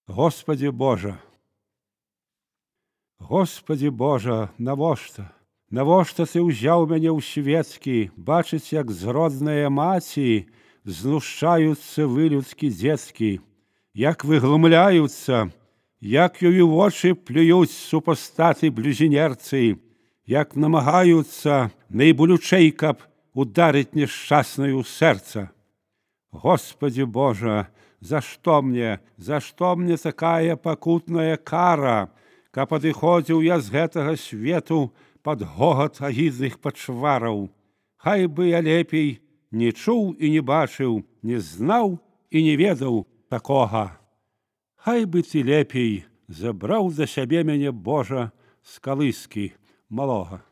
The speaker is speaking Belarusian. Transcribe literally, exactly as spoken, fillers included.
Господи Божа, Господи Божа, навошта? Навошта ты ўзяў мяне ў свецкі, бачыць, як з роднае маці знушаюцца вылюдскі дзецкі, як выглумляюцца, як ёю вочы плююць супастаты блюзнерцы, як намагаюцца найболючэй, каб ударыць нешчасную сэрца. Господи Божа, за што мне, за што мне такая пакутная кара, каб адыходзіў я з гэтага свету пад гогат агідных пачвараў? Хай бы я лепей не чуў і не бачыў, не знаў і не ведаў такога. Хай бы ты лепей забраў за сябе мяне, Божа, з калыскі малога.